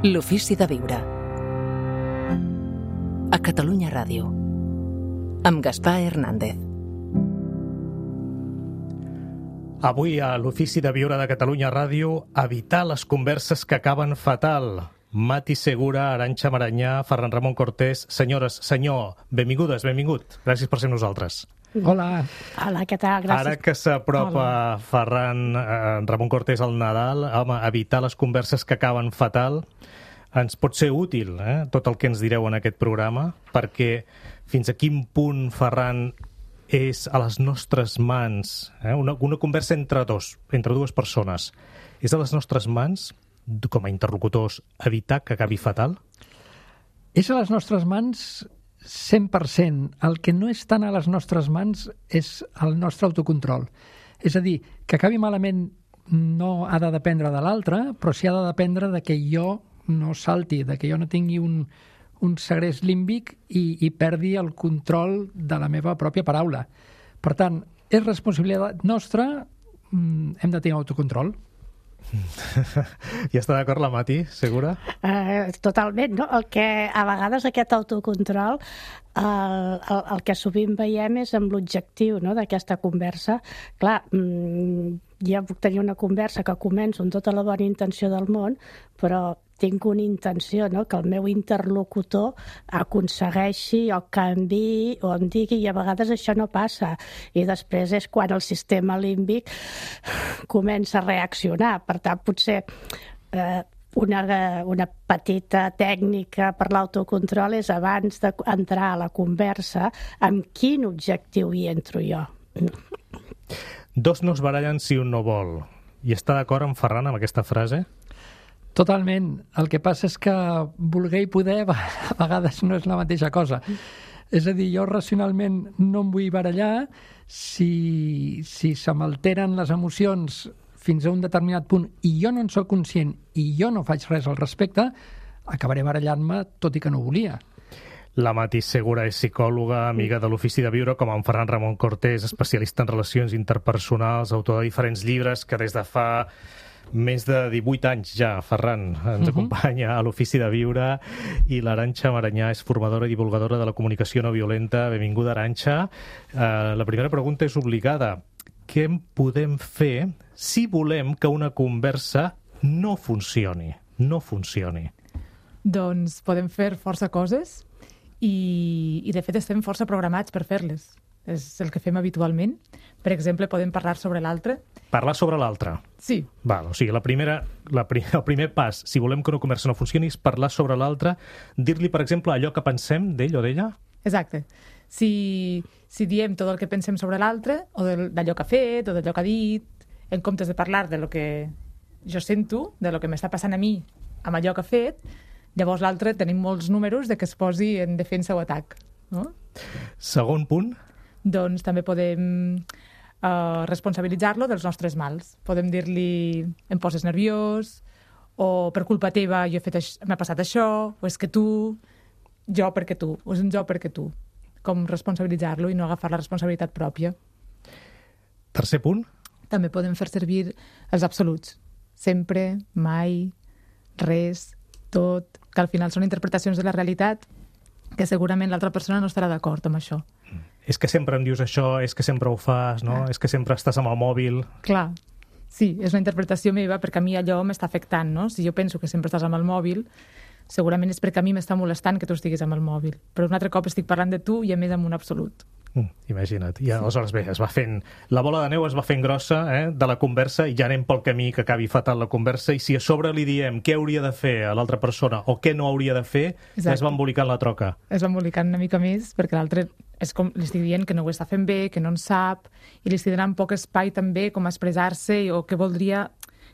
L'ofici de viure. A Catalunya Ràdio. Amb Gaspar Hernández. Avui a l'Ofici de Viure de Catalunya Ràdio, evitar les converses que acaben fatal. Mati Segura, Arantxa Maranyà, Ferran Ramon Cortés. Senyores, senyor, benvingudes, benvingut. Gràcies per ser nosaltres. Hola. Hola, què tal? Gràcies. Ara que s'apropa Ferran Ramon Cortés al Nadal, home, evitar les converses que acaben fatal ens pot ser útil, tot el que ens direu en aquest programa, perquè fins a quin punt, Ferran, és a les nostres mans, una conversa entre dues persones, és a les nostres mans, com a interlocutors, evitar que acabi fatal? És a les nostres mans 100%. El que no és tant a les nostres mans és el nostre autocontrol. És a dir, que acabi malament no ha de dependre de l'altre, però sí ha de dependre de que jo no salti, de que jo no tingui un segrest límbic i perdi el control de la meva pròpia paraula. Per tant, és responsabilitat nostra, hem de tenir autocontrol. I està d'acord la Mati, Segura? Totalment, no? El que a vegades aquest autocontrol el que sovint veiem és amb l'objectiu, no?, d'aquesta conversa. Clar, ja puc tenir una conversa que començo amb tota la bona intenció del món, però tinc una intenció, no?, que el meu interlocutor aconsegueixi o canviï o em digui, i a vegades això no passa. I després és quan el sistema límbic comença a reaccionar. Per tant, potser una petita tècnica per l'autocontrol és abans d'entrar a la conversa amb quin objectiu hi entro jo. Dos no es barallen si un no vol. I està d'acord amb Ferran amb aquesta frase? Totalment. El que passa és que voler i poder a vegades no és la mateixa cosa. És a dir, jo racionalment no em vull barallar. Si se m'alteren les emocions fins a un determinat punt i jo no en soc conscient i jo no faig res al respecte, acabaré barallant-me tot i que no volia. La Mati Segura és psicòloga, amiga de l'Ofici de Viure, com en Ferran Ramon Cortés, especialista en relacions interpersonals, autor de diferents llibres que des de fa més de 18 anys ja, Ferran, ens acompanya a l'Ofici de Viure, i l'Arantxa Maranyà és formadora i divulgadora de la comunicació no violenta. Benvinguda, Arantxa. La primera pregunta és obligada. Què podem fer si volem que una conversa no funcioni? No funcioni. Doncs podem fer força coses i de fet estem força programats per fer-les. És el que fem habitualment. Per exemple, podem parlar sobre l'altre. Parlar sobre l'altre? Sí. Val, o sigui, el primer pas, si volem que una conversa no funcioni, és parlar sobre l'altre, dir-li, per exemple, allò que pensem d'ell o d'ella? Exacte. Si diem tot el que pensem sobre l'altre, o d'allò que ha fet, o d'allò que ha dit, en comptes de parlar de lo que jo sento, de lo que m'està passant a mi amb allò que ha fet, llavors l'altre tenim molts números de que es posi en defensa o atac. No? Segon punt? Doncs també podem responsabilitzar-lo dels nostres mals. Podem dir-li, em poses nerviós, o per culpa teva m'ha passat això, o és que tu, jo perquè tu, o és un jo perquè tu. Com responsabilitzar-lo i no agafar la responsabilitat pròpia. Tercer punt? També podem fer servir els absoluts. Sempre, mai, res, tot, que al final són interpretacions de la realitat que segurament l'altra persona no estarà d'acord amb això. És que sempre em dius això, és que sempre ho fas, no? És que sempre estàs amb el mòbil. Clar, sí, és una interpretació meva perquè a mi allò m'està afectant, no? Si jo penso que sempre estàs amb el mòbil, segurament és perquè a mi m'està molestant que tu estiguis amb el mòbil. Però un altre cop estic parlant de tu i a més amb un absolut. Imagina't. I aleshores, bé, la bola de neu es va fent grossa de la conversa i ja anem pel camí que acabi fatal la conversa, i si a sobre li diem què hauria de fer a l'altra persona o què no hauria de fer, ja es va embolicant la troca. Es va embolicant una mica més perquè l'altre és com li estic dient que no ho està fent bé, que no en sap, i li estic donant poc espai també com a expressar-se o què voldria,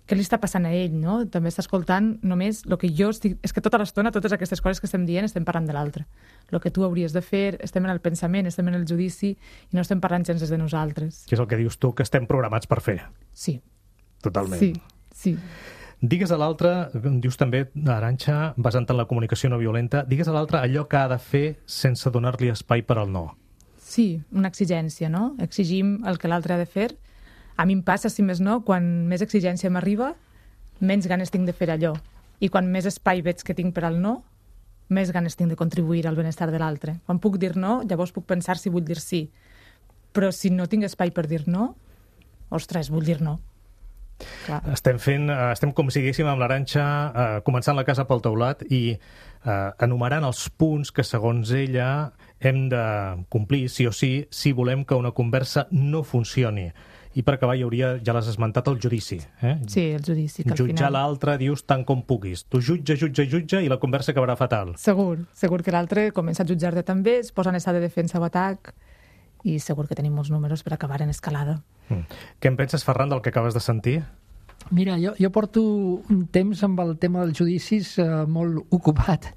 què li està passant a ell, no? També està escoltant només el que jo estic... És que tota l'estona, totes aquestes coses que estem dient, estem parlant de l'altre. El que tu hauries de fer, estem en el pensament, estem en el judici i no estem parlant gens des de nosaltres. Que és el que dius tu, que estem programats per fer. Sí. Totalment. Sí. Digues a l'altre, dius també, Arantxa, basant en la comunicació no violenta, digues a l'altre allò que ha de fer sense donar-li espai per al no. Sí, una exigència, no? Exigim el que l'altre ha de fer. A mi em passa, si més no, quan més exigència m'arriba, menys ganes tinc de fer allò. I quan més espai veig que tinc per al no, més ganes tinc de contribuir al benestar de l'altre. Quan puc dir no, llavors puc pensar si vull dir sí. Però si no tinc espai per dir no, ostres, vull dir no. Clar. Estem com si diguéssim amb l'Arantxa començant la casa pel teulat i enumerant els punts que segons ella hem de complir sí o sí si volem que una conversa no funcioni. I per acabar ja l'has esmentat, el judici. Sí, el judici. Que Jutjar l'altre, dius, tant com puguis. Tu jutja i la conversa acabarà fatal. Segur que l'altre comença a jutjar-te també, es posa en estat de defensa o atac i segur que tenim molts números per acabar en escalada. Què en penses, Ferran, del que acabes de sentir? Mira, jo porto un temps amb el tema dels judicis molt ocupat,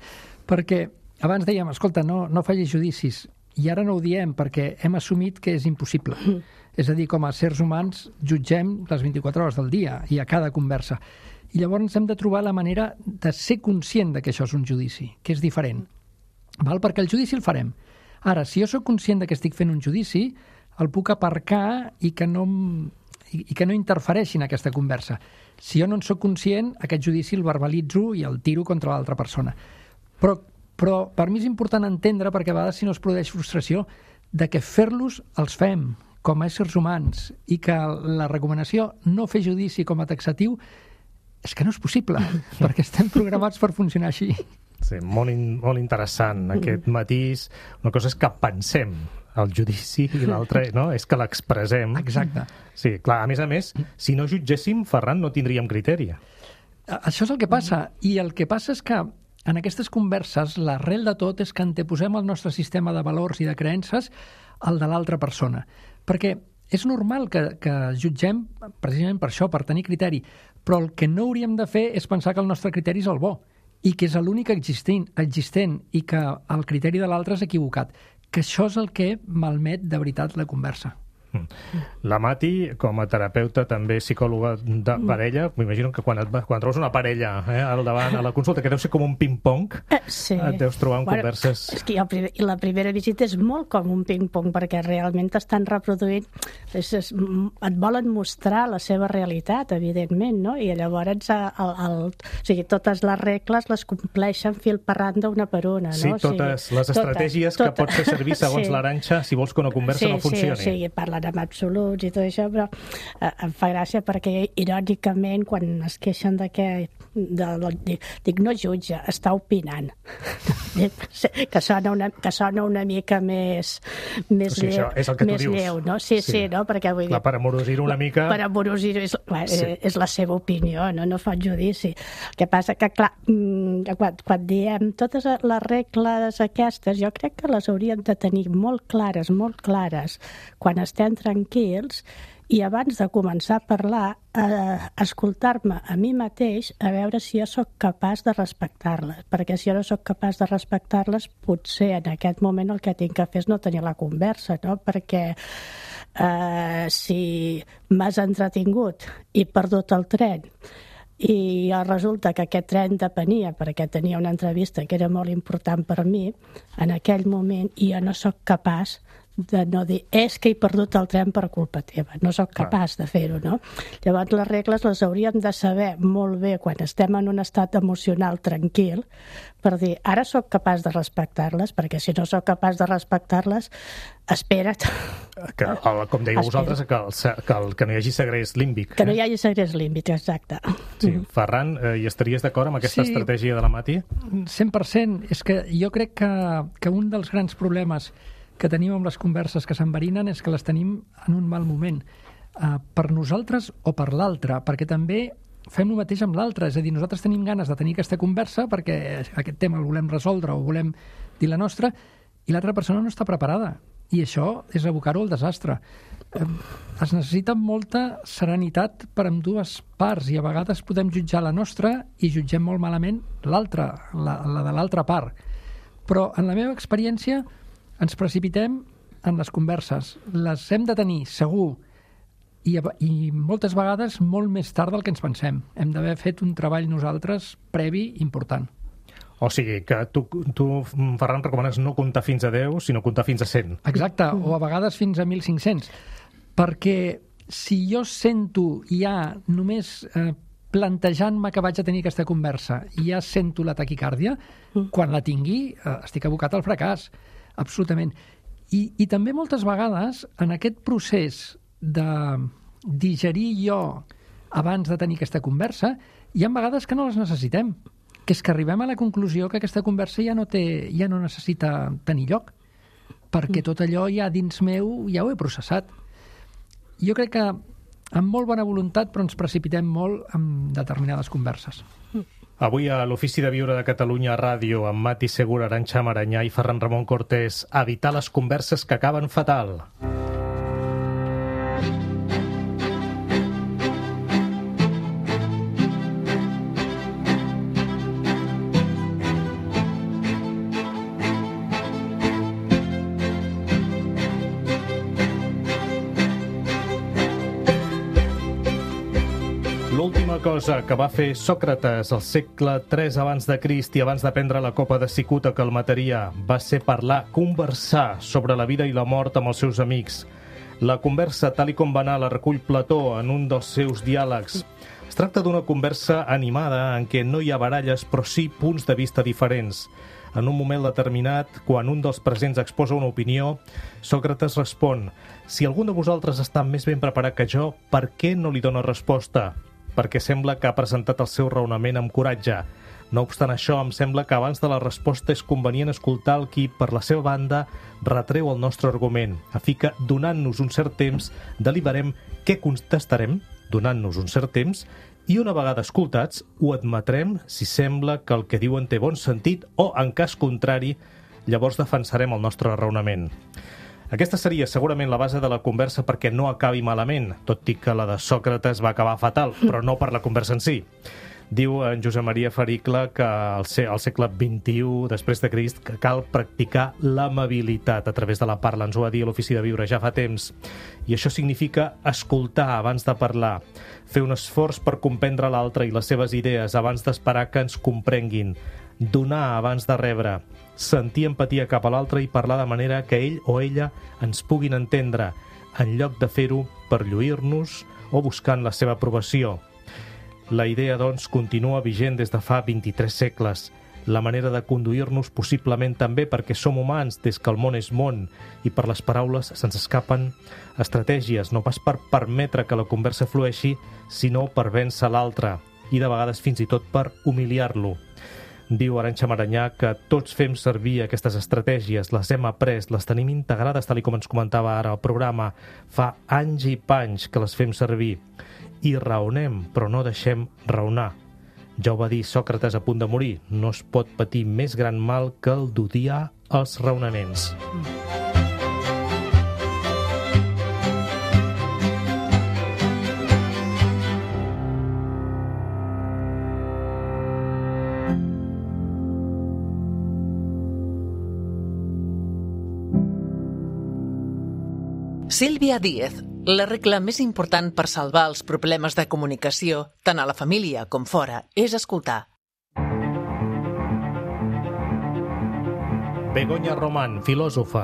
perquè abans dèiem, escolta, no facis judicis, i ara no ho diem perquè hem assumit que és impossible. És a dir, com a sers humans jutgem les 24 hores del dia i a cada conversa. I llavors hem de trobar la manera de ser conscient de que això és un judici, que és diferent. Val? Perquè el judici el farem. Ara, si jo sóc conscient de que estic fent un judici, el puc aparcar i que no interfereixi en aquesta conversa. Si jo no en sóc conscient, aquest judici el verbalitzo i el tiro contra l'altra persona. Però per mi és important entendre, perquè a vegades si no es produeix frustració, de que fer-los els fem com a éssers humans i que la recomanació no fer judici com a taxatiu és que no és possible, perquè estem programats per funcionar així. Sí, molt interessant aquest matís. Una cosa és que pensem el judici i l'altra no? És que l'expressem. Exacte. Sí, clar, a més, si no jutgéssim, Ferran, no tindríem criteri. Això és el que passa. I el que passa és que en aquestes converses l'arrel de tot és que anteposem el nostre sistema de valors i de creences al de l'altra persona. Perquè és normal que jutgem precisament per això, per tenir criteri, però el que no hauríem de fer és pensar que el nostre criteri és el bo i que és l'únic existent i que el criteri de l'altre és equivocat. Que això és el que malmet de veritat la conversa. La Mati, com a terapeuta, també psicòloga de parella, m'imagino que quan trobes una parella al davant a la consulta, que deu ser com un ping-pong, sí. Et deus trobar en converses... És que la primera visita és molt com un ping-pong, perquè realment t'estan reproduint, et volen mostrar la seva realitat, evidentment, no? I llavors totes les regles les compleixen fil per randa una per una, no? Sí, totes les estratègies que pots fer servir segons l'Arantxa si vols que una conversa no funcioni. Sí, parlen amb absoluts i tot això, però em fa gràcia perquè, irònicament, quan es queixen de que... dic, no jutja, està opinant. que sona una mica més sí, lleu, és el que més lleu, no? Sí, no? Perquè vull dir... Per amorosir-ho una mica... Per amorosir-ho és la seva opinió, no fa judici. El que passa que, clar, quan diem totes les regles aquestes, jo crec que les hauríem de tenir molt clares, quan estem tranquils, i abans de començar a parlar, escoltar-me a mi mateix a veure si jo sóc capaç de respectar-les, perquè si jo no sóc capaç de respectar-les, potser en aquest moment el que tinc que fer és no tenir la conversa, no? Perquè si m'has entretingut i perdut el tren i resulta que aquest tren depenia perquè tenia una entrevista que era molt important per mi, en aquell moment jo no sóc capaç de no dir, és que he perdut el tren per culpa teva, no sóc capaç de fer-ho, no? Llavors les regles les hauríem de saber molt bé quan estem en un estat emocional tranquil, per dir, ara sóc capaç de respectar-les, perquè si no sóc capaç de respectar-les, espera't. Com dèieu vosaltres, que no hi hagi segrest límbic. Que no hi hagi segrest límbic, exacte. Sí. Ferran, hi estaries d'acord amb aquesta estratègia de la Mati? 100%. És que jo crec que un dels grans problemes que tenim amb les converses que s'enverinen és que les tenim en un mal moment, per nosaltres o per l'altre, perquè també fem el mateix amb l'altre, és a dir, nosaltres tenim ganes de tenir aquesta conversa perquè aquest tema el volem resoldre o volem dir la nostra, i l'altra persona no està preparada, i això és abocar-ho al desastre. Es necessita molta serenitat per amb dues parts, i a vegades podem jutjar la nostra i jutgem molt malament l'altra, la de l'altra part. Però en la meva experiència ens precipitem en les converses. Les hem de tenir, segur, i moltes vegades molt més tard del que ens pensem. Hem d'haver fet un treball nosaltres previ important. O sigui, que tu Ferran, recomanes no comptar fins a 10, sinó comptar fins a 100. Exacte, o a vegades fins a 1.500. Perquè si jo sento ja només plantejant-me que vaig a tenir aquesta conversa i ja sento la taquicàrdia, quan la tingui estic abocat al fracàs, absolutament. I també moltes vegades en aquest procés de digerir jo abans de tenir aquesta conversa, hi ha vegades que no les necessitem, que és que arribem a la conclusió que aquesta conversa ja no necessita tenir lloc, perquè tot allò ja dins meu ja ho he processat. Jo crec que amb molt bona voluntat, però ens precipitem molt en determinades converses. Avui a l'Ofici de Viure de Catalunya Ràdio, amb Mati Segura, Arantxa Maranyà i Ferran Ramon Cortés, evitar les converses que acaben fatal. L'última cosa que va fer Sòcrates al segle III abans de Crist i abans de prendre la copa de cicuta que el mataria va ser conversar sobre la vida i la mort amb els seus amics. La conversa, tal com va anar, la recull Plató en un dels seus diàlegs. Es tracta d'una conversa animada en què no hi ha baralles, però sí punts de vista diferents. En un moment determinat, quan un dels presents exposa una opinió, Sòcrates respon: «Si algú de vosaltres està més ben preparat que jo, per què no li dona resposta? Perquè sembla que ha presentat el seu raonament amb coratge. No obstant això, em sembla que abans de la resposta és convenient escoltar el qui, per la seva banda, retreu el nostre argument, a fi que, donant-nos un cert temps, deliberem què contestarem, donant-nos un cert temps, i una vegada escoltats, ho admetrem si sembla que el que diuen té bon sentit o, en cas contrari, llavors defensarem el nostre raonament». Aquesta seria segurament la base de la conversa perquè no acabi malament, tot i que la de Sòcrates va acabar fatal, però no per la conversa en si. Diu en Josep Maria Faricle que al segle XXI, després de Crist, que cal practicar l'amabilitat a través de la parla. Ens ho va dir a l'Ofici de Viure ja fa temps. I això significa escoltar abans de parlar, fer un esforç per comprendre l'altre i les seves idees abans d'esperar que ens comprenguin, donar abans de rebre, sentir empatia cap a l'altre i parlar de manera que ell o ella ens puguin entendre, en lloc de fer-ho per lluir-nos o buscant la seva aprovació. La idea, doncs, continua vigent des de fa 23 segles. La manera de conduir-nos possiblement també perquè som humans des que el món és món i per les paraules se'ns escapen estratègies, no pas per permetre que la conversa flueixi, sinó per vèncer l'altre i de vegades fins i tot per humiliar-lo. Diu Arantxa Maranyà que tots fem servir aquestes estratègies, les hem après, les tenim integrades, tal com ens comentava ara el programa. Fa anys i panys que les fem servir. I raonem, però no deixem raonar. Ja ho va dir Sòcrates a punt de morir. No es pot patir més gran mal que el d'odiar els raonaments. Sílvia Díez, la regla més important per salvar els problemes de comunicació, tant a la família com fora, és escoltar. Begoña Román, filòsofa.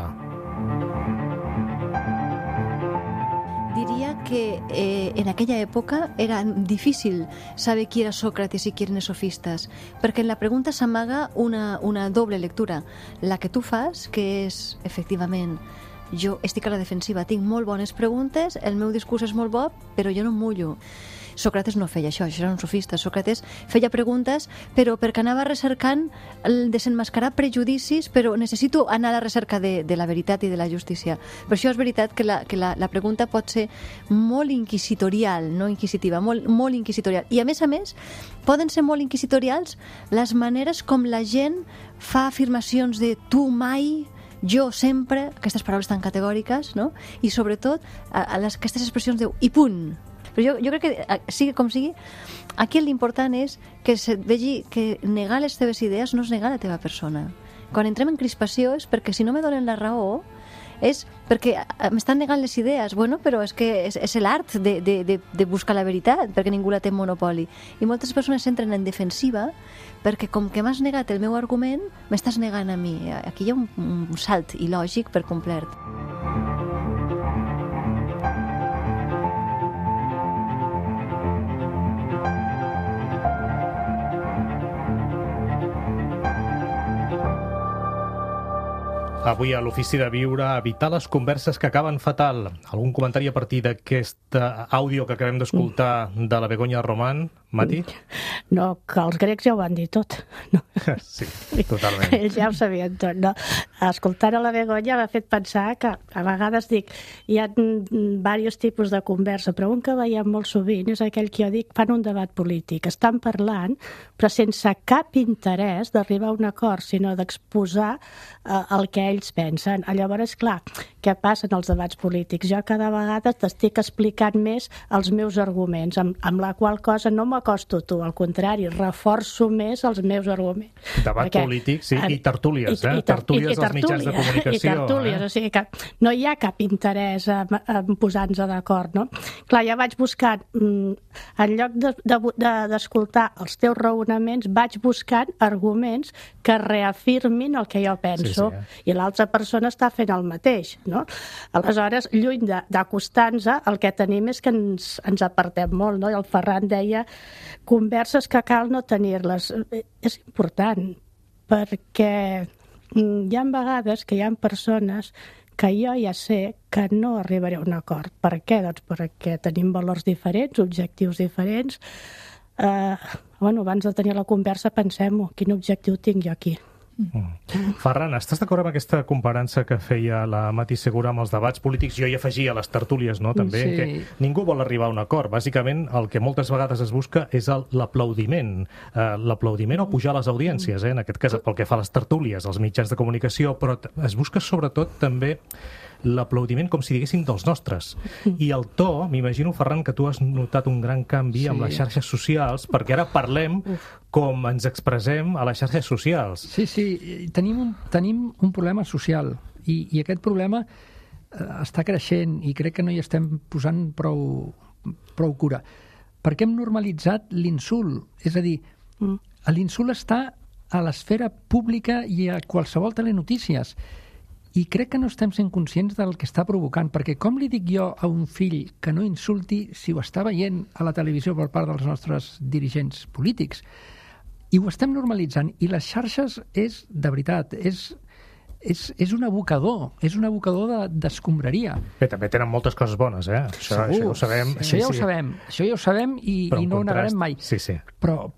Diria que en aquella època era difícil saber qui era Sòcrates i qui eren els sofistes, perquè en la pregunta s'amaga una doble lectura. La que tu fas, que és, efectivament, jo estic a la defensiva, tinc molt bones preguntes, el meu discurs és molt bo, però jo no em mullo. Sòcrates no feia això era un sofista. Sòcrates feia preguntes, però perquè anava recercant el desenmascarar prejudicis, però necessito anar a la recerca de la veritat i de la justícia. Per això és veritat que la pregunta pot ser molt inquisitorial, no inquisitiva, molt inquisitorial. I a més, poden ser molt inquisitorials les maneres com la gent fa afirmacions de tu mai, jo sempre, aquestes paraules tan categòriques, no? I sobretot aquestes expressions de i punt. Però jo crec que, sigui com sigui, aquí l'important és que se't vegi que negar les teves idees no és negar la teva persona. Quan entrem en crispació és perquè si no me donen la raó és perquè m'estan negant les idees. Bueno, però és que és l'art de buscar la veritat, perquè ningú la té en monopoli. I moltes persones entren en defensiva perquè com que m'has negat el meu argument, m'estàs negant a mi. Aquí hi ha un salt il·lògic per complet. Avui a l'Ofici de Viure, evitar les converses que acaben fatal. Algun comentari a partir d'aquest àudio que acabem d'escoltar de la Begoña Román? Mati? No, que els grecs ja ho van dir tot. No. Sí, totalment. Ells ja ho sabien tot, no? Escoltar a la Begoña m'ha fet pensar que a vegades dic, hi ha diversos tipus de conversa, però un que veiem molt sovint és aquell que jo dic, fan un debat polític. Estan parlant, però sense cap interès d'arribar a un acord, sinó d'exposar el que ells pensen. Llavors, clar, què passa en els debats polítics? Jo cada vegada t'estic explicant més els meus arguments, amb la qual cosa no m'acosto a tu, al contrari, reforço més els meus arguments. Debat polític, sí, i tertúlies, tertúlies als mitjans de comunicació. I tertúlies, o sigui que no hi ha cap interès en posar-nos d'acord, no? Clar, ja vaig buscant, en lloc d'escoltar els teus raonaments, vaig buscant arguments que reafirmin el que jo penso, i l'altra persona està fent el mateix, no? Aleshores, lluny d'acostar-nos, el que tenim és que ens apartem molt, no? I el Ferran deia converses que cal no tenir-les. És important, perquè hi ha vegades que hi ha persones que jo ja sé que no arribaré a un acord. Per què? Doncs perquè tenim valors diferents, objectius diferents. Abans de tenir la conversa pensem-ho, quin objectiu tinc jo aquí. Ferran, estàs d'acord amb aquesta comparança que feia la Mati Segura amb els debats polítics? Jo hi afegia les tertúlies, no?, també, que ningú vol arribar a un acord. Bàsicament, el que moltes vegades es busca és l'aplaudiment. L'aplaudiment o pujar les audiències, en aquest cas, pel que fa a les tertúlies, als mitjans de comunicació, però es busca sobretot també l'aplaudiment com si diguéssim dels nostres. I el to, m'imagino, Ferran, que tu has notat un gran canvi amb les xarxes socials, perquè ara parlem com ens expressem a les xarxes socials. Sí, tenim un problema social i aquest problema està creixent i crec que no hi estem posant prou cura. Perquè hem normalitzat l'insult. És a dir, l'insult està a l'esfera pública i a qualsevol telenotícies. I crec que no estem sent conscients del que està provocant, perquè com li dic jo a un fill que no insulti si ho està veient a la televisió per part dels nostres dirigents polítics? I ho estem normalitzant. I les xarxes és, de veritat, és un abocador, d'escombraria. Bé, també tenen moltes coses bones, Això ho sabem. Això ja ho sabem i no ho negarem mai. Sí. Però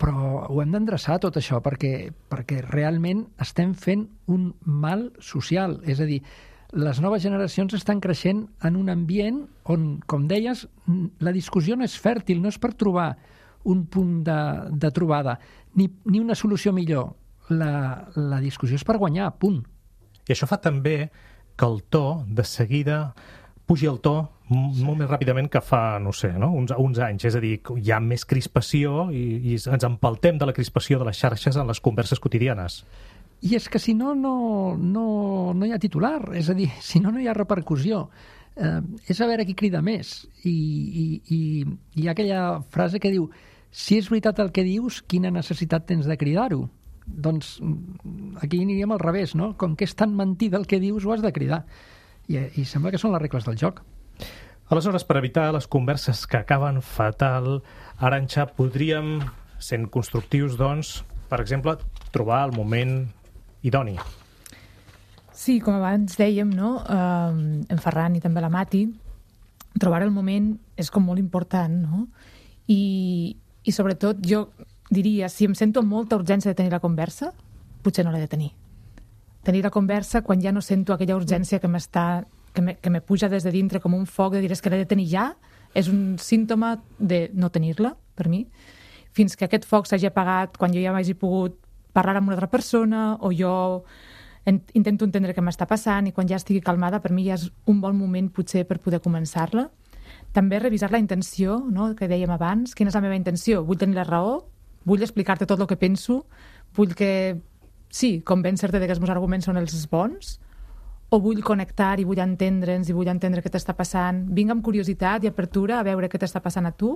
ho hem d'endreçar tot això perquè realment estem fent un mal social. És a dir, les noves generacions estan creixent en un ambient on, com deies, la discussió no és fèrtil, no és per trobar un punt de trobada, ni una solució millor. La discussió és per guanyar, punt. I això fa també que el to, de seguida, pugi el to molt més ràpidament que fa, no sé, uns anys. És a dir, hi ha més crispació i ens empaltem de la crispació de les xarxes en les converses quotidianes. I és que si no hi ha titular. És a dir, si no hi ha repercussió. És a veure qui crida més. I hi ha aquella frase que diu: si és veritat el que dius, quina necessitat tens de cridar-ho? Doncs aquí aniríem al revés, no? Com que és tan mentida el que dius, ho has de cridar. I sembla que són les regles del joc. Aleshores, per evitar les converses que acaben fatal, Arantxa, podríem, sent constructius, doncs, per exemple, trobar el moment idoni. Sí, com abans dèiem, no? En Ferran i també la Mati, trobar el moment és com molt important, no? I sobretot jo diria, si em sento molta urgència de tenir la conversa, potser no l'he de tenir. Tenir la conversa quan ja no sento aquella urgència que me puja des de dintre com un foc de dir que l'he de tenir ja, és un símptoma de no tenir-la, per mi, fins que aquest foc s'hagi apagat quan jo ja m'hagi pogut parlar amb una altra persona o jo intento entendre què m'està passant i quan ja estigui calmada, per mi ja és un bon moment potser per poder començar-la. També revisar la intenció, no?, que dèiem abans. Quina és la meva intenció? Vull tenir la raó? Vull explicar-te tot el que penso? Vull que, sí, convèncer-te que els meus arguments són els bons? O vull connectar i vull entendre'ns i vull entendre què t'està passant? Vinc amb curiositat i apertura a veure què t'està passant a tu?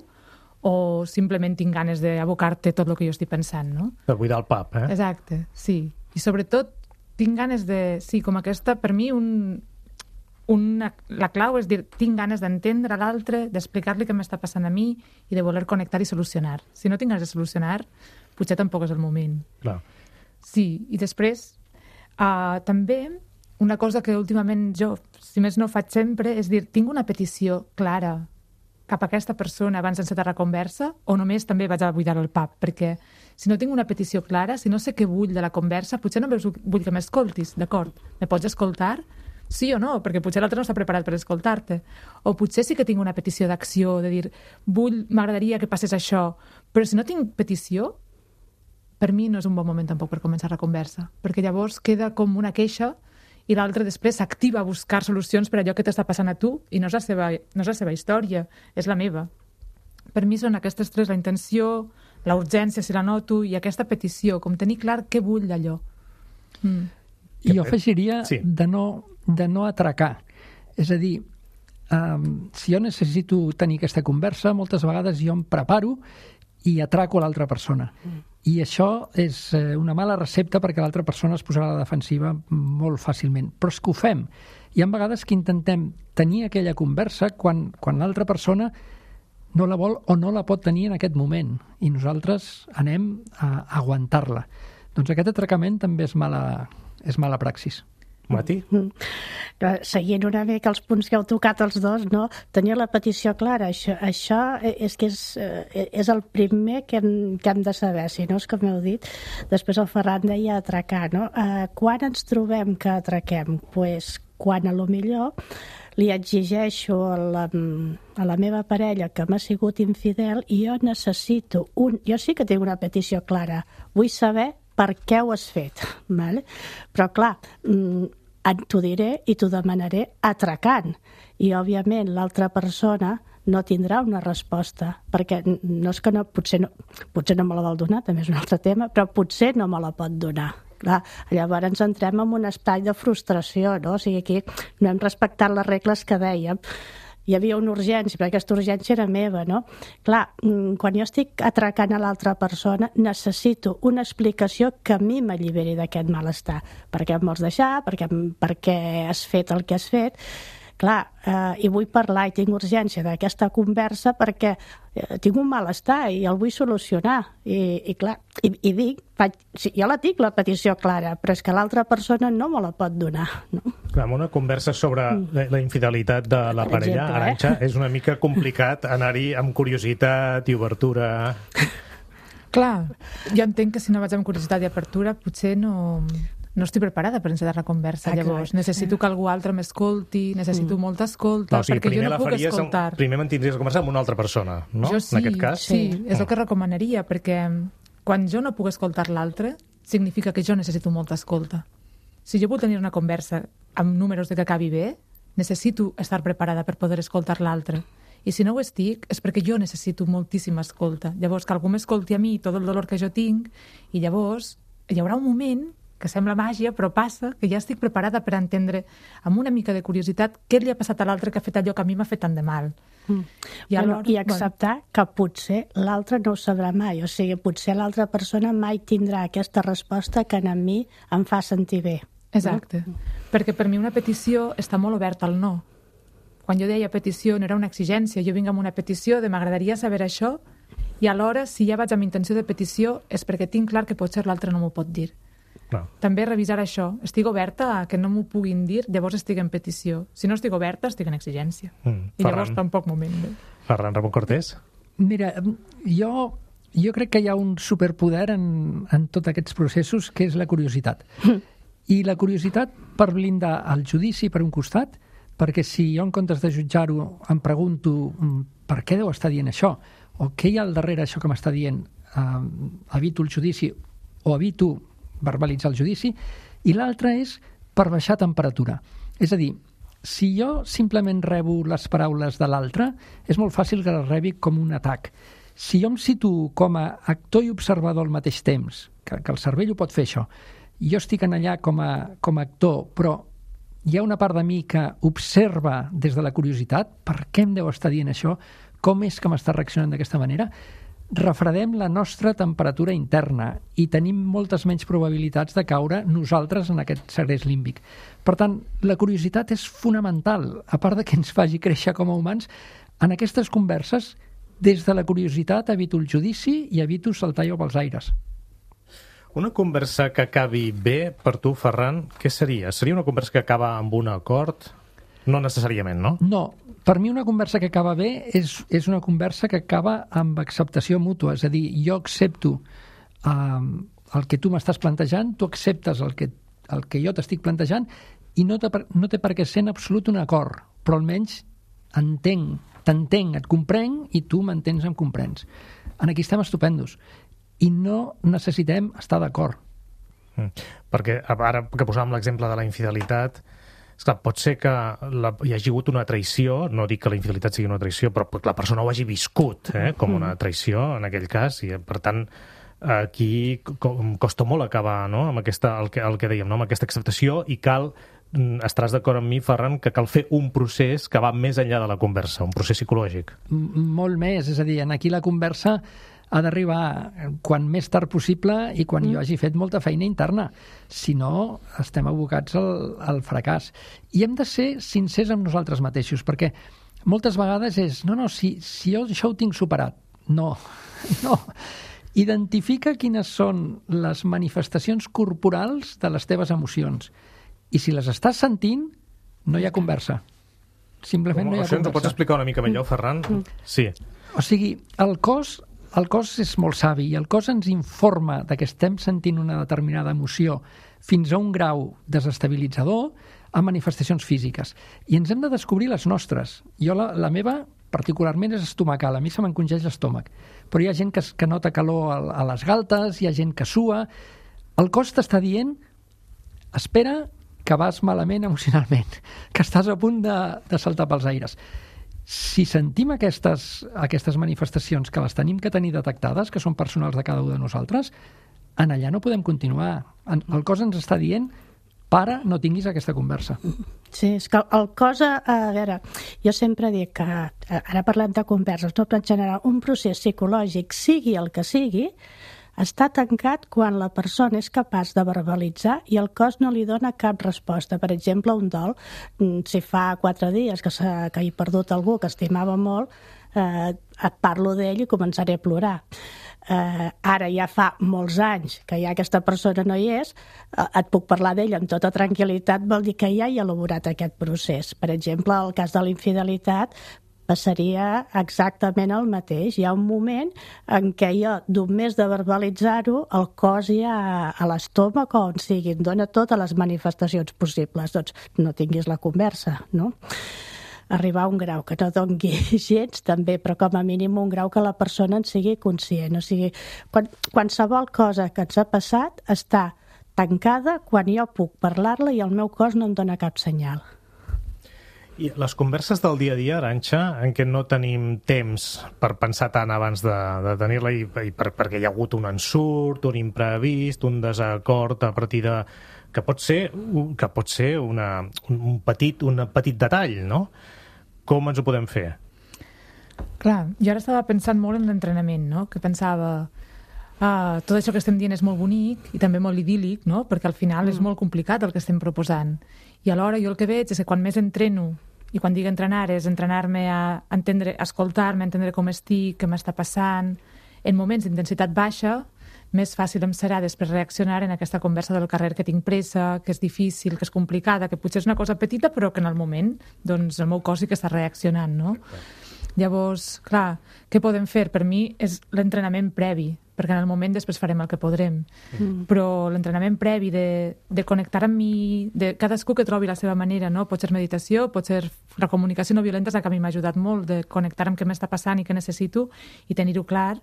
O simplement tinc ganes d'abocar-te tot el que jo estic pensant, no? Per buidar el pap, Exacte, sí. I sobretot tinc ganes de... Sí, com aquesta, per mi, la clau és dir, tinc ganes d'entendre l'altre, d'explicar-li què m'està passant a mi i de voler connectar i solucionar. Si no tinc ganes de solucionar, potser tampoc és el moment. Clar. Sí, i després també una cosa que últimament jo, si més no faig sempre, és dir, tinc una petició clara cap a aquesta persona abans d'encetar la conversa o només també vaig a buidar el pap? Perquè si no tinc una petició clara, si no sé què vull de la conversa, potser només vull que m'escoltis, d'acord? Me pots escoltar? Sí o no? Perquè potser l'altre no està preparat per escoltar-te. O potser sí que tinc una petició d'acció, de dir, m'agradaria que passés això, però si no tinc petició, per mi no és un bon moment tampoc per començar la conversa, perquè llavors queda com una queixa i l'altre després s'activa a buscar solucions per allò que t'està passant a tu i no és la seva història, és la meva. Per mi són aquestes tres, la intenció, la urgència, si la noto, i aquesta petició, com tenir clar què vull d'allò. I jo afegiria de no atracar. És a dir, si jo necessito tenir aquesta conversa, moltes vegades jo em preparo i atraco l'altra persona. I això és una mala recepta perquè l'altra persona es posarà a la defensiva molt fàcilment. Però és que ho fem. Hi ha vegades que intentem tenir aquella conversa quan l'altra persona no la vol o no la pot tenir en aquest moment i nosaltres anem a aguantar-la. Doncs aquest atracament també és mala praxis. Mati? Seguint una mica els punts que heu tocat els dos, no? Tenir la petició clara, això és el primer que hem de saber, si no és com heu dit. Després el Ferran deia atracar, no? Quan ens trobem que atraquem? Pues quan a lo millor li exigeixo a la meva parella que m'ha sigut infidel i jo necessito jo sí que tinc una petició clara, vull saber per què ho has fet, vale? Però clar, t'ho diré i t'ho demanaré atracant, i òbviament l'altra persona no tindrà una resposta, perquè no és que potser no me la vol donar, també és un altre tema, però potser no me la pot donar. Clar, llavors ens entrem en un espai de frustració, no? O sigui, aquí no hem respectat les regles que dèiem. Hi havia una urgència, però aquesta urgència era meva, no? Clar, quan jo estic atracant a l'altra persona, necessito una explicació que a mi m'alliberi d'aquest malestar. Per què em vols deixar? Per què has fet el que has fet? Clar, i vull parlar i tinc urgència d'aquesta conversa perquè tinc un malestar i el vull solucionar. I clar, i dic, jo la tinc, la petició clara, però és que l'altra persona no me la pot donar, no? Clar, en una conversa sobre la infidelitat de la parella, Arantxa, és una mica complicat anar-hi amb curiositat i obertura. Clar, jo entenc que si no vaig amb curiositat i apertura potser no estic preparada per encetar la conversa, llavors. Necessito que algú altre m'escolti, necessito molta escolta, perquè jo no puc escoltar. Primer mantindries la conversa amb una altra persona, no? Jo sí, en aquest cas. Sí, és el que recomanaria, perquè quan jo no puc escoltar l'altre, significa que jo necessito molta escolta. Si jo vull tenir una conversa amb números de que acabi bé, necessito estar preparada per poder escoltar l'altre. I si no ho estic, és perquè jo necessito moltíssima escolta. Llavors, que algú m'escolti a mi tot el dolor que jo tinc, i llavors hi haurà un moment que sembla màgia, però passa que ja estic preparada per entendre amb una mica de curiositat què li ha passat a l'altre que ha fet allò que a mi m'ha fet tant de mal. I acceptar que potser l'altre no ho sabrà mai, o sigui, potser l'altra persona mai tindrà aquesta resposta que a mi em fa sentir bé. Exacte, perquè per mi una petició està molt oberta al no. Quan jo deia petició no era una exigència, jo vinc amb una petició de m'agradaria saber això i alhora si ja vaig amb intenció de petició és perquè tinc clar que potser l'altre no m'ho pot dir. No. També revisar això. Estic oberta a que no m'ho puguin dir, llavors estic en petició. Si no estic oberta, estic en exigència. I llavors tampoc moment bé. Ferran Ramon Cortés? Mira, jo crec que hi ha un superpoder en tots aquests processos, que és la curiositat. I la curiositat per blindar el judici per un costat, perquè si jo en comptes de jutjar-ho em pregunto per què deu estar dient això, o què hi ha al darrere això que m'està dient, evito el judici o evito verbalitzar el judici, i l'altre és per baixar temperatura. És a dir, si jo simplement rebo les paraules de l'altre, és molt fàcil que les rebi com un atac. Si jo em situo com a actor i observador al mateix temps, que el cervell ho pot fer això, i jo estic en allà com a actor, però hi ha una part de mi que observa des de la curiositat, per què em deu estar dient això, com és que m'està reaccionant d'aquesta manera, refredem la nostra temperatura interna i tenim moltes menys probabilitats de caure nosaltres en aquest segrest límbic. Per tant, la curiositat és fonamental, a part de que ens faci créixer com a humans. En aquestes converses, des de la curiositat evito el judici i evito saltar jo pels aires. Una conversa que acabi bé, per tu, Ferran, què seria? Seria una conversa que acaba amb un acord? No necessàriament, no? No, per mi una conversa que acaba bé és una conversa que acaba amb acceptació mútua. És a dir, jo accepto el que tu m'estàs plantejant, tu acceptes el que jo t'estic plantejant i no té per què ser en absolut un acord, però almenys t'entenc, et comprenc i tu m'entens, em comprens. En aquí estem estupendos i no necessitem estar d'acord. Perquè ara que posàvem l'exemple de la infidelitat, esclar, pot ser que hi hagi hagut una traïció, no dic que la infidelitat sigui una traïció, però que la persona ho hagi viscut com una traïció en aquell cas, i per tant aquí costa molt acabar, no? Amb el que dèiem, no? Amb aquesta acceptació, i estaràs d'acord amb mi, Ferran, que cal fer un procés que va més enllà de la conversa, un procés psicològic. Molt més, és a dir, aquí la conversa ha d'arribar quan més tard possible i quan jo hagi fet molta feina interna. Si no, estem abocats al fracàs. I hem de ser sincers amb nosaltres mateixos, perquè moltes vegades és, si jo això ho tinc superat. No. Identifica quines són les manifestacions corporals de les teves emocions. I si les estàs sentint, no hi ha conversa. Simplement no hi ha conversa. Ens ho pots explicar una mica millor, Ferran? Sí. O sigui, el cos és molt savi i el cos ens informa de que estem sentint una determinada emoció fins a un grau desestabilitzador a manifestacions físiques. I ens hem de descobrir les nostres. Jo la meva particularment és estomacal, a mi se m'encongeix l'estómac. Però hi ha gent que nota calor a les galtes, hi ha gent que sua. El cos t'està dient, espera, que vas malament emocionalment, que estàs a punt de saltar pels aires. Si sentim aquestes manifestacions que les tenim que tenir detectades, que són personals de cada un de nosaltres, en allà no podem continuar. El cos ens està dient, para, no tinguis aquesta conversa. Sí, és que el cos, a veure, jo sempre dic que, ara parlem de converses, no, però en general, un procés psicològic, sigui el que sigui, està tancat quan la persona és capaç de verbalitzar i el cos no li dona cap resposta. Per exemple, un dol, si fa 4 dies que he perdut algú que estimava molt, et parlo d'ell i començaré a plorar. Ara ja fa molts anys que ja aquesta persona no hi és, et puc parlar d'ell amb tota tranquil·litat, vol dir que ja he elaborat aquest procés. Per exemple, el cas de la infidelitat passaria exactament el mateix. Hi ha un moment en què jo, només de verbalitzar-ho, el cos ja a l'estómac o on sigui, em dona totes les manifestacions possibles. Doncs no tinguis la conversa, no? Arribar a un grau que no doni gens, també, però com a mínim un grau que la persona en sigui conscient. O sigui, qualsevol cosa que ens ha passat està tancada quan jo puc parlar-la i el meu cos no em dona cap senyal. I les converses del dia a dia, Arantxa, en què no tenim temps per pensar tant abans de tenir-la i perquè hi ha hagut un ensurt, un imprevist, un desacord a partir de... que pot ser un petit detall, no? Com ens ho podem fer? Clar, jo ara estava pensant molt en l'entrenament, no? Que pensava... tot això que estem dient és molt bonic i també molt idíl·lic, no? Perquè al final és molt complicat el que estem proposant. I alhora jo el que veig és que quan més entreno, i quan dic entrenar és entrenar-me a entendre, escoltar-me, entendre com estic, què m'està passant, en moments d'intensitat baixa, més fàcil em serà després reaccionar en aquesta conversa del carrer que tinc pressa, que és difícil, que és complicada, que potser és una cosa petita però que en el moment doncs, el meu cos sí que està reaccionant, no? Llavors, clar, què podem fer? Per mi és l'entrenament previ, perquè en el moment després farem el que podrem. Però l'entrenament previ de connectar amb mi, de cadascú que trobi la seva manera, no? Pot ser meditació, pot ser la comunicació no violenta, és la que a mi m'ha ajudat molt, de connectar amb què m'està passant i què necessito i tenir-ho clar.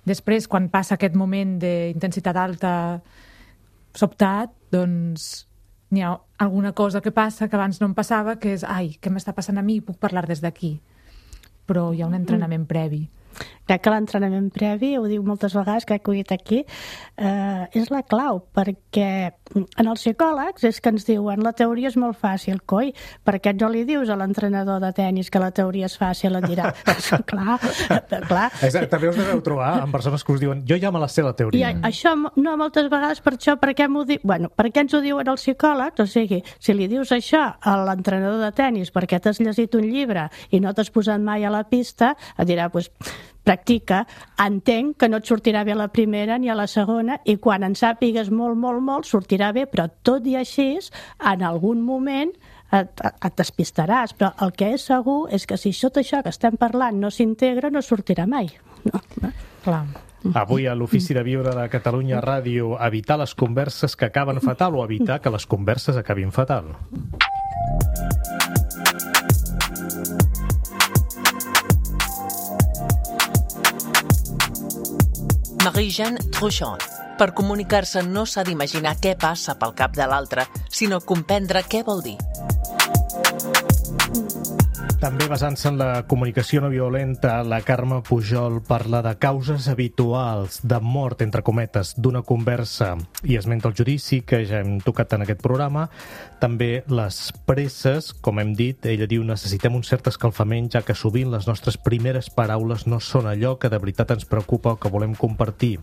Després, quan passa aquest moment d'intensitat alta sobtat, doncs n'hi ha alguna cosa que passa que abans no em passava, que és, ai, què m'està passant a mi? Puc parlar des d'aquí. Però hi ha un entrenament previ. Crec que l'entrenament previ, ho diu moltes vegades, crec que ho he dit aquí, és la clau, perquè en els psicòlegs és que ens diuen la teoria és molt fàcil, coi, per què no li dius a l'entrenador de tenis que la teoria és fàcil? Et dirà, clar. Exacte, també us deveu trobar amb persones que us diuen jo ja me la sé la teoria. I això, no, moltes vegades per això, per què m'ho diu? Bueno, per què ens ho diuen els psicòlegs? O sigui, si li dius això a l'entrenador de tenis perquè t'has llegit un llibre i no t'has posat mai a la pista, et dirà, doncs, practica, entenc que no et sortirà bé a la primera ni a la segona, i quan en sàpigues molt, molt, molt, sortirà bé, però tot i així, en algun moment et despistaràs, però el que és segur és que si tot això que estem parlant no s'integra, no sortirà mai. No? Clar. Avui a l'Ofici de Viure de Catalunya Ràdio, evitar les converses que acaben fatal o evitar que les converses acabin fatal. Marie-Jeanne Truchon. Per comunicar-se no s'ha d'imaginar què passa pel cap de l'altre, sinó comprendre què vol dir. També basant-se en la comunicació no violenta, la Carme Pujol parla de causes habituals de mort, entre cometes, d'una conversa i esmenta el judici, que ja hem tocat en aquest programa. També les presses, com hem dit, ella diu necessitem un cert escalfament, ja que sovint les nostres primeres paraules no són allò que de veritat ens preocupa o que volem compartir.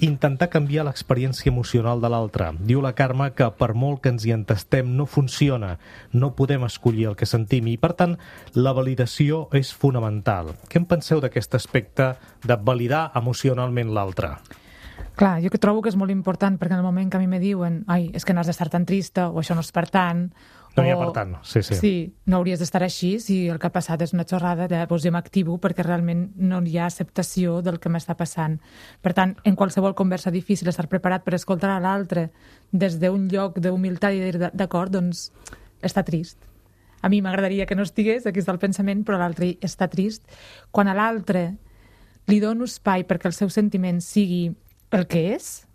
Intentar canviar l'experiència emocional de l'altre. Diu la Carme que per molt que ens hi entestem no funciona, no podem escollir el que sentim i, per tant, la validació és fonamental. Què en penseu d'aquest aspecte de validar emocionalment l'altre? Clar, jo que trobo que és molt important, perquè en el moment que a mi me diuen és que no has d'estar tan trista, o això no és per tant, no hi ha per tant, sí. Sí, no hauries d'estar així, si el que ha passat és una xorrada, llavors jo m'activo perquè realment no hi ha acceptació del que m'està passant. Per tant, en qualsevol conversa difícil, estar preparat per escoltar a l'altre des d'un lloc d'humilitat i dir, d'acord, doncs està trist. A mi m'agradaria que no estigués, aquí està el pensament, però l'altre està trist. Quan a l'altre li dono espai perquè el seu sentiment sigui el que és,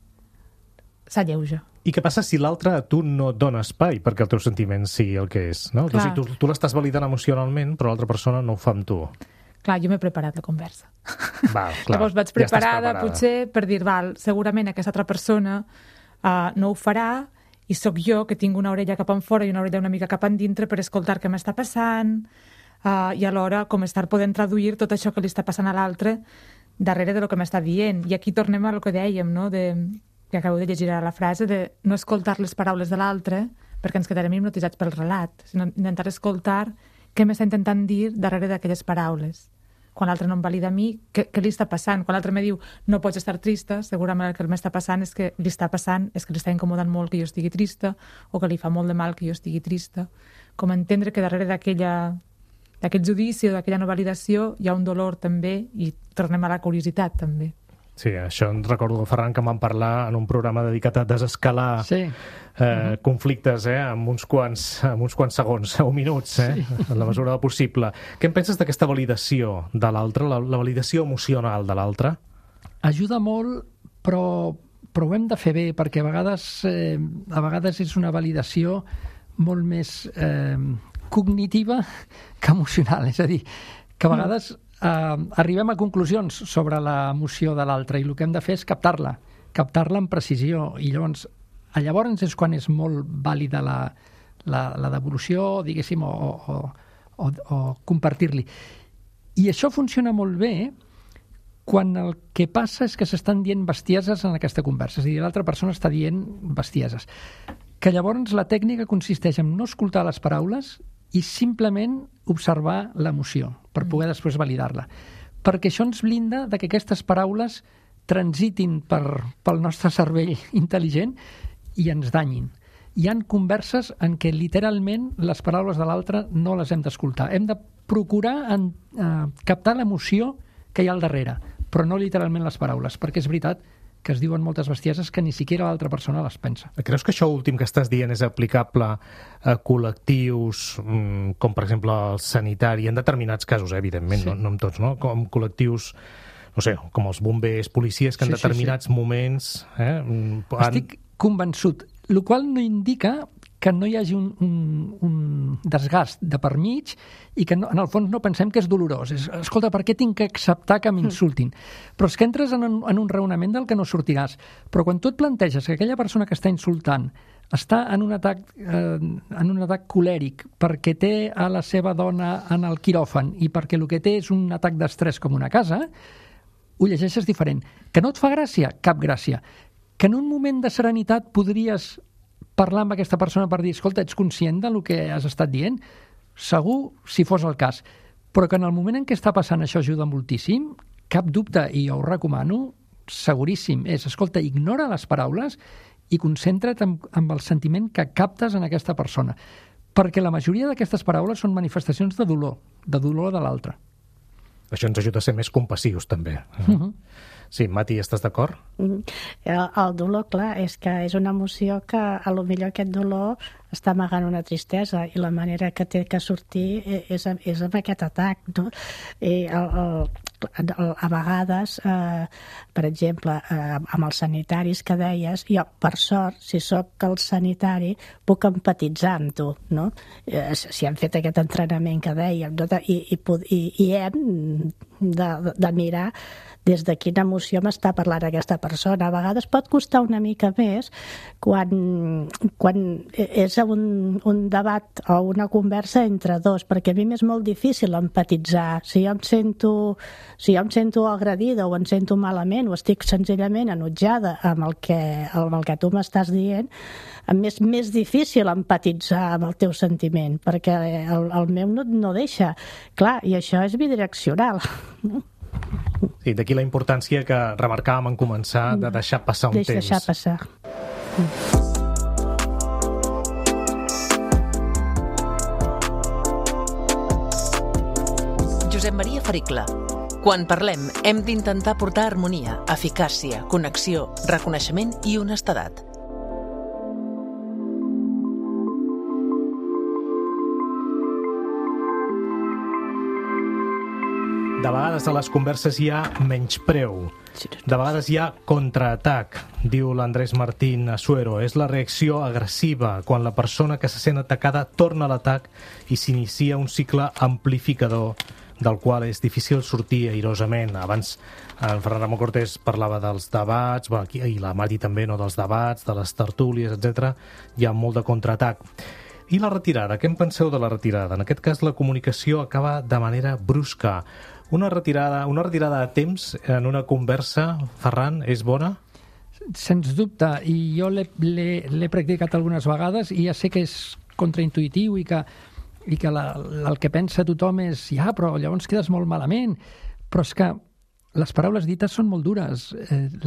s'alleuja. I què passa si l'altre a tu no et dona espai perquè el teu sentiment sigui el que és? No? O sigui, tu l'estàs validant emocionalment, però l'altra persona no ho fa amb tu. Clar, jo m'he preparat la conversa. Val, clar, llavors vaig preparada, potser, per dir, segurament aquesta altra persona no ho farà i sóc jo que tinc una orella cap enfora i una orella una mica cap endintre per escoltar què m'està passant i alhora com estar podent traduir tot això que li està passant a l'altre darrere de lo que m'està dient. I aquí tornem a lo que dèiem, no?, que acabo de llegir a la frase, de no escoltar les paraules de l'altre perquè ens quedarem hipnotitzats pel relat, sinó intentar escoltar què m'està intentant dir darrere d'aquelles paraules. Quan l'altre no em valida a mi, què li està passant? Quan l'altre me diu no pots estar trista, segurament el que m'està passant és que li està incomodant molt que jo estigui trista o que li fa molt de mal que jo estigui trista. Com entendre que darrere d'aquell judici o d'aquella no validació hi ha un dolor també i tornem a la curiositat també. Sí, això em recordo, Ferran, que vam parlar en un programa dedicat a desescalar conflictes en uns quants segons o minuts, en la mesura del possible. Què en penses d'aquesta validació de l'altre, la validació emocional de l'altre? Ajuda molt, però ho hem de fer bé, perquè a vegades és una validació molt més cognitiva que emocional. És a dir, que a vegades arribem a conclusions sobre l'emoció de l'altre i el que hem de fer és captar-la amb precisió, i llavors és quan és molt vàlida la devolució, diguéssim, o compartir-li. I això funciona molt bé quan el que passa és que s'estan dient bestieses en aquesta conversa, és a dir, l'altra persona està dient bestieses. Que llavors la tècnica consisteix en no escoltar les paraules i simplement observar l'emoció per poder després validar-la. Perquè això ens blinda de que aquestes paraules transitin pel nostre cervell intel·ligent i ens danyin. Hi ha converses en què literalment les paraules de l'altre no les hem d'escoltar. Hem de procurar captar l'emoció que hi ha al darrere, però no literalment les paraules, perquè és veritat que es diuen moltes bestieses que ni siquiera l'altra persona les pensa. Creus que això últim que estàs dient és aplicable a col·lectius com, per exemple, el sanitari, en determinats casos, evidentment, sí. No en tots, no? Com col·lectius, no sé, com els bombers, policies, que en determinats moments... Estic convençut, el qual no indica que no hi hagi un desgast de per mig i que en el fons no pensem que és dolorós. Escolta, per què tinc que acceptar que m'insultin? Però és que entres en un raonament del que no sortiràs. Però quan tu et planteges que aquella persona que està insultant està en un atac colèric perquè té a la seva dona en el quiròfan i perquè el que té és un atac d'estrès com una casa, ho llegeixes diferent. Que no et fa gràcia? Cap gràcia. Que en un moment de serenitat podries parlar amb aquesta persona per dir, escolta, ets conscient del que has estat dient? Segur, si fos el cas. però que en el moment en què està passant això ajuda moltíssim, cap dubte, i jo ho recomano, seguríssim, escolta, ignora les paraules i concentra't en el sentiment que captes en aquesta persona. Perquè la majoria d'aquestes paraules són manifestacions de dolor de l'altre. Això ens ajuda a ser més compassius, també. Sí, Mati, estàs d'acord? El dolor, clar, és que és una emoció que a lo millor aquest dolor està amagant una tristesa i la manera que té que sortir és amb aquest atac, no? I a vegades, per exemple, amb els sanitaris que deies, jo, per sort, si sóc el sanitari, puc empatitzar amb tu, no? Si hem fet aquest entrenament que dèiem, no? I hem de mirar des de quina emoció m'està parlant aquesta persona. A vegades pot costar una mica més quan és un debat o una conversa entre dos, perquè a mi m'és molt difícil empatitzar. Si jo em sento agredida o em sento malament o estic senzillament enutjada amb el que tu m'estàs dient, és més difícil empatitzar amb el teu sentiment, perquè el meu no deixa. Clar, i això és bidireccional. Sí, d'aquí la importància que remarcàvem en començar de deixar passar un temps. Deixar passar. Josep Maria Fericla. Quan parlem, hem d'intentar portar harmonia, eficàcia, connexió, reconeixement i honestedat. De vegades a les converses hi ha menyspreu. De vegades hi ha contraatac, diu l'Andrés Martín Asuero. És la reacció agressiva quan la persona que se sent atacada torna a l'atac i s'inicia un cicle amplificador del qual és difícil sortir airosament. Abans en Ferran Ramon Cortés parlava dels debats, i la Mati també, no, dels debats, de les tertúlies, etc. Hi ha molt de contraatac. I la retirada? Què en penseu de la retirada? En aquest cas, la comunicació acaba de manera brusca. Una retirada a temps en una conversa, Ferran, és bona? Sens dubte, i jo l'he practicat algunes vegades i ja sé que és contraintuitiu i que el que pensa tothom és però llavors quedes molt malament. Però és que les paraules dites són molt dures.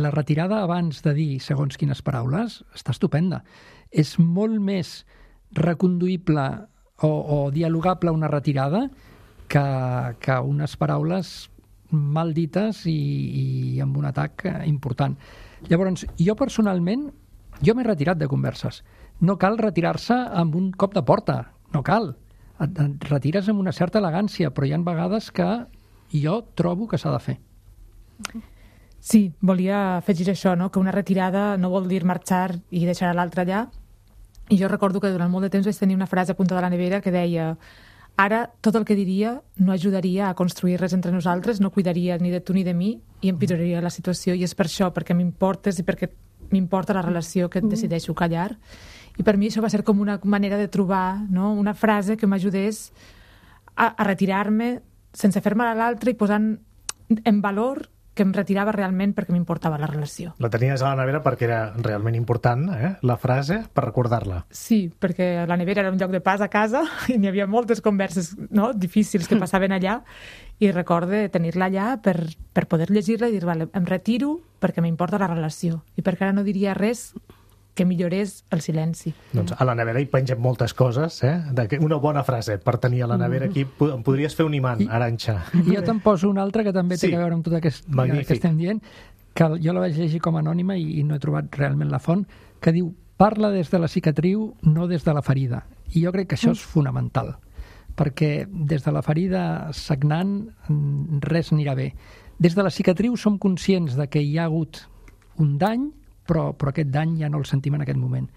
La retirada abans de dir segons quines paraules està estupenda. És molt més reconduïble o dialogable una retirada que unes paraules mal dites i amb un atac important. Llavors, jo personalment, m'he retirat de converses. No cal retirar-se amb un cop de porta, no cal. Et retires amb una certa elegància, però hi ha vegades que jo trobo que s'ha de fer. Sí, volia afegir això, no? Que una retirada no vol dir marxar i deixar l'altre allà. I jo recordo que durant molt de temps vaig tenir una frase apuntada a la nevera que deia: ara tot el que diria no ajudaria a construir res entre nosaltres, no cuidaria ni de tu ni de mi i empitjoraria la situació, i és per això, perquè m'importes i perquè m'importa la relació, que et decideixo callar. I per mi això va ser com una manera de trobar, no? Una frase que m'ajudés a retirar-me sense fer mal a l'altre i posant en valor que em retirava realment perquè m'importava la relació. La tenies a la nevera perquè era realment important, la frase, per recordar-la. Sí, perquè la nevera era un lloc de pas a casa i n'hi havia moltes converses, no, difícils que passaven allà, i recorde tenir-la allà per poder llegir-la i dir, vale, em retiro perquè m'importa la relació i perquè ara no diria res que millorés el silenci. Doncs a la nevera hi pengem moltes coses, una bona frase per tenir a la nevera aquí. Em podries fer un imant, Arantxa. I jo te'n poso una altra que també té a veure amb tot aquest que estem dient, que jo la vaig llegir com a anònima i no he trobat realment la font, que diu: parla des de la cicatriu, no des de la ferida. I jo crec que això és fonamental, perquè des de la ferida sagnant res anirà bé. Des de la cicatriu som conscients de que hi ha hagut un dany, però aquest dany ja no el sentim en aquest moment.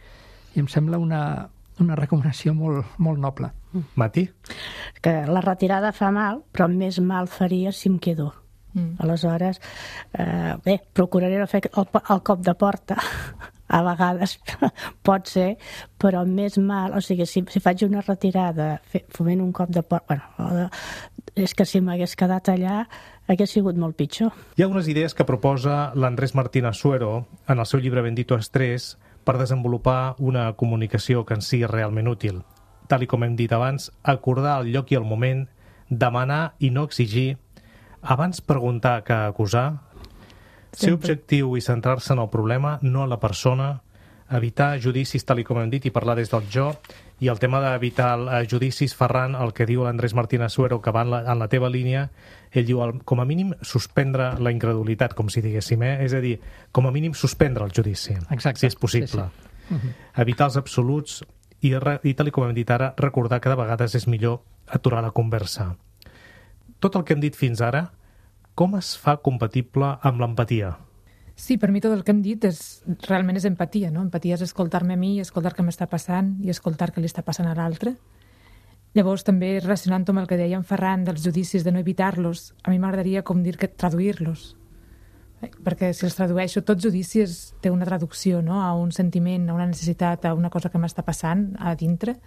I em sembla una recomanació molt noble. Mati? Que la retirada fa mal, però més mal faria si em quedo. Aleshores, procuraré no fer el cop de porta. A vegades pot ser, però més mal, o sigui, si faig una retirada fent un cop de porta, és que si m'hagués quedat allà hagués sigut molt pitjor. Hi ha unes idees que proposa l'Andrés Martín Asuero en el seu llibre Bendito Estrés per desenvolupar una comunicació que en sigui realment útil. Tal com hem dit abans, acordar el lloc i el moment, demanar i no exigir, abans preguntar que acusar, ser objectiu i centrar-se en el problema, no en la persona, evitar judicis tal com hem dit i parlar des del jo, i el tema d'evitar judicis, Ferran, el que diu l'Andrés Martínez Suero, que va en la teva línia, ell diu, com a mínim, suspendre la incredulitat, com si diguéssim, és a dir, com a mínim suspendre el judici, exacte, si és possible. Sí. Evitar els absoluts i tal com hem dit ara, recordar que de vegades és millor aturar la conversa. Tot el que hem dit fins ara, com es fa compatible amb l'empatia? Sí, per mi tot el que hem dit realment és empatia, no? Empatia és escoltar-me a mi, escoltar què m'està passant i escoltar què li està passant a l'altre. Llavors, també relacionant amb el que deia en Ferran dels judicis, de no evitar-los, a mi m'agradaria com dir que traduir-los. Perquè si els tradueixo, tot judici té una traducció, no? A un sentiment, a una necessitat, a una cosa que m'està passant a dintre.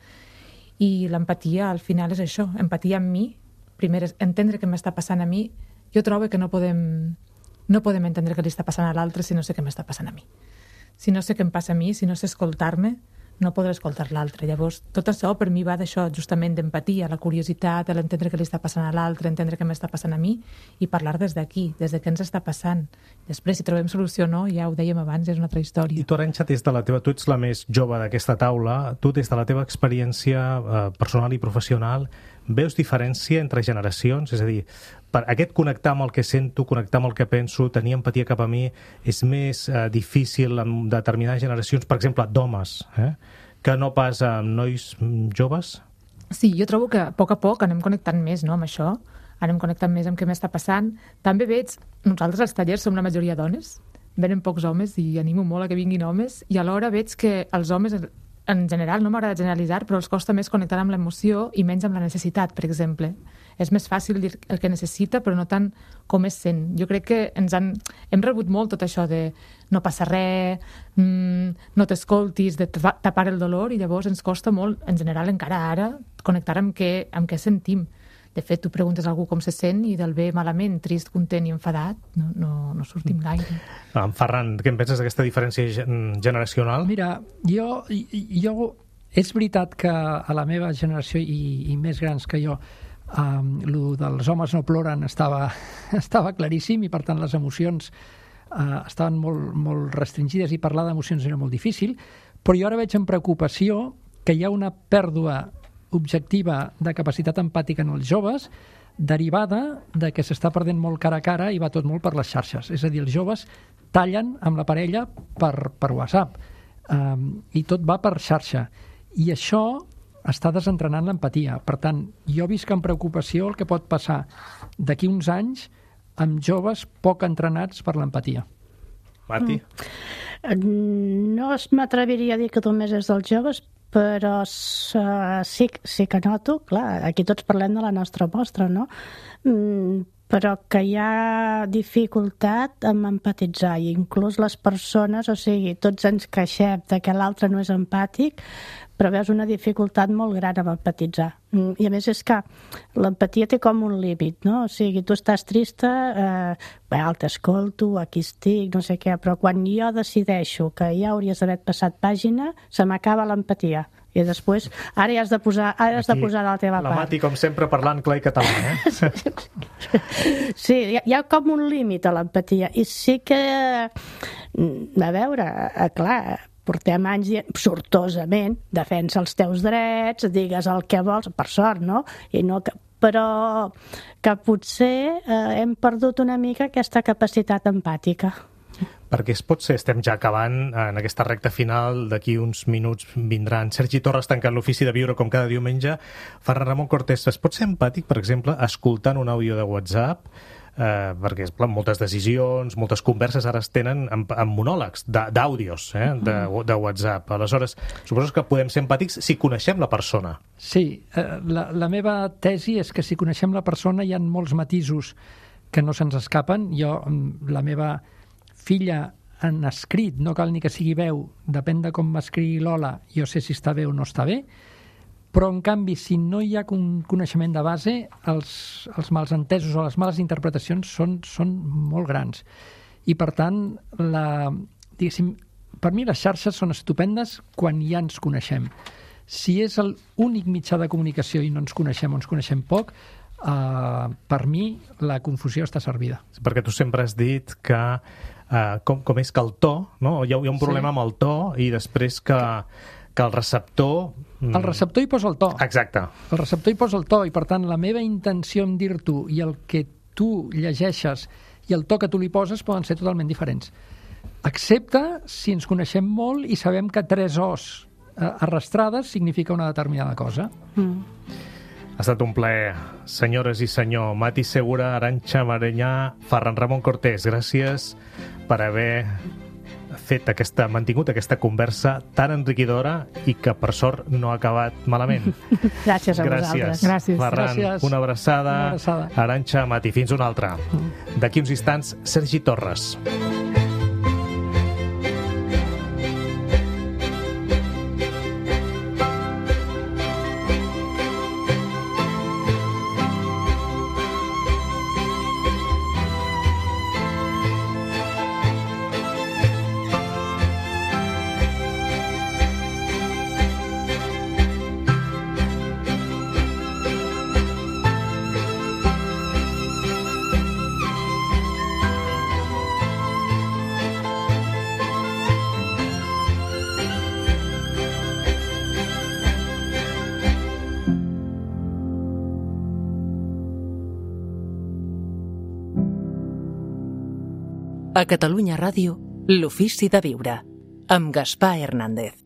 I l'empatia, al final, és això. Empatia amb mi. Primer és entendre què m'està passant a mi. Jo trobo que no podem entendre què li està passant a l'altre si no sé què m'està passant a mi. Si no sé què em passa a mi, si no sé escoltar-me, no podré escoltar l'altre. Llavors, tot això per mi va d'això, justament d'empatia, la curiositat, l'entendre què li està passant a l'altre, entendre què m'està passant a mi i parlar des d'aquí, des de què ens està passant. Després, si trobem solució o no, ja ho dèiem abans, és una altra història. I tu, Arantxa, tu ets la més jove d'aquesta taula, tu des de la teva experiència personal i professional, veus diferència entre generacions? És a dir, per aquest connectar amb el que sento, connectar amb el que penso, tenir empatia cap a mi, és més difícil en determinades generacions, per exemple, d'homes, que no pas amb nois joves? Sí, jo trobo que a poc anem connectant més, no?, amb això, anem connectant més amb què m'està passant. També veig, nosaltres als tallers som la majoria dones, venen pocs homes i animo molt a que vinguin homes, i alhora veig que els homes, en general, no m'agrada generalitzar, però els costa més connectar amb l'emoció i menys amb la necessitat, per exemple. És més fàcil dir el que necessita, però no tant com es sent. Jo crec que hem rebut molt tot això de no passa res, no t'escoltis, de tapar el dolor, i llavors ens costa molt, en general, encara ara, connectar amb què sentim. De fet, tu preguntes a algú com se sent i del bé, malament, trist, content i enfadat, no sortim gaire. En Ferran, què en penses d'aquesta diferència generacional? Mira, jo és veritat que a la meva generació i més grans que jo, lo dels homes no ploren estava claríssim i per tant les emocions estaven molt restringides i parlar d'emocions era molt difícil, però jo ara veig amb preocupació que hi ha una pèrdua objectiva de capacitat empàtica en els joves derivada de que s'està perdent molt cara a cara i va tot molt per les xarxes. És a dir, els joves tallen amb la parella per WhatsApp i tot va per xarxa. I això està desentrenant l'empatia. Per tant, jo visc amb preocupació el que pot passar d'aquí uns anys amb joves poc entrenats per l'empatia. Mati? No m'atreviria a dir que només és dels joves, però sí que noto, clar, aquí tots parlem de la nostra mostra, no? Però que hi ha dificultat en empatitzar, i inclús les persones, o sigui, tots ens queixem de que l'altre no és empàtic, però veus una dificultat molt gran en empatitzar. I a més és que l'empatia té com un límit, no? O sigui, tu estàs trista, t'escolto, aquí estic, no sé què, però quan jo decideixo que ja hauries d'haver passat pàgina, se m'acaba l'empatia. I després, ara ja has de posar de la teva part. La Mati, com sempre, parlant clar i català, Sí, hi ha com un límit a l'empatia. I sí que, a veure, clar, portem anys dient, sortosament, defensa els teus drets, digues el que vols, per sort, no? Però que potser hem perdut una mica aquesta capacitat empàtica. Perquè estem ja acabant en aquesta recta final, d'aquí uns minuts vindran Sergi Torres tancant l'ofici de viure com cada diumenge. Ferran Ramon Cortés, es pot ser empàtic, per exemple, escoltant un àudio de WhatsApp? Perquè moltes decisions, moltes converses ara es tenen amb monòlegs d'àudios de WhatsApp. Aleshores, suposo que podem ser empàtics si coneixem la persona. Sí, la meva tesi és que si coneixem la persona hi ha molts matisos que no se'ns escapen. La meva filla en escrit, no cal ni que sigui veu, depèn de com m'escrigui l'Ola, jo sé si està bé o no està bé, però en canvi, si no hi ha un coneixement de base, els malentesos o les males interpretacions són molt grans. I per tant, per mi les xarxes són estupendes quan ja ens coneixem. Si és l'únic mitjà de comunicació i no ens coneixem o ens coneixem poc, per mi la confusió està servida. Perquè tu sempre has dit que com és que el to, no? Hi ha un problema amb el to i després que el receptor... El receptor hi posa el to. Exacte. El receptor hi posa el to i, per tant, la meva intenció en dir-t'ho i el que tu llegeixes i el to que tu li poses poden ser totalment diferents. Excepte si ens coneixem molt i sabem que 3 O's arrastrades significa una determinada cosa. Ha estat un plaer, senyores i senyor. Mati Segura, Arantxa Mareñà, Ferran Ramon Cortés, gràcies per haver mantingut aquesta conversa tan enriquidora i que, per sort, no ha acabat malament. Gràcies a vosaltres. Gràcies. Ferran, una abraçada. Arantxa, Mati, fins una altra. D'aquí uns instants, Sergi Torres. A Catalunya Ràdio, l'Ofici de Viure, amb Gaspar Hernández.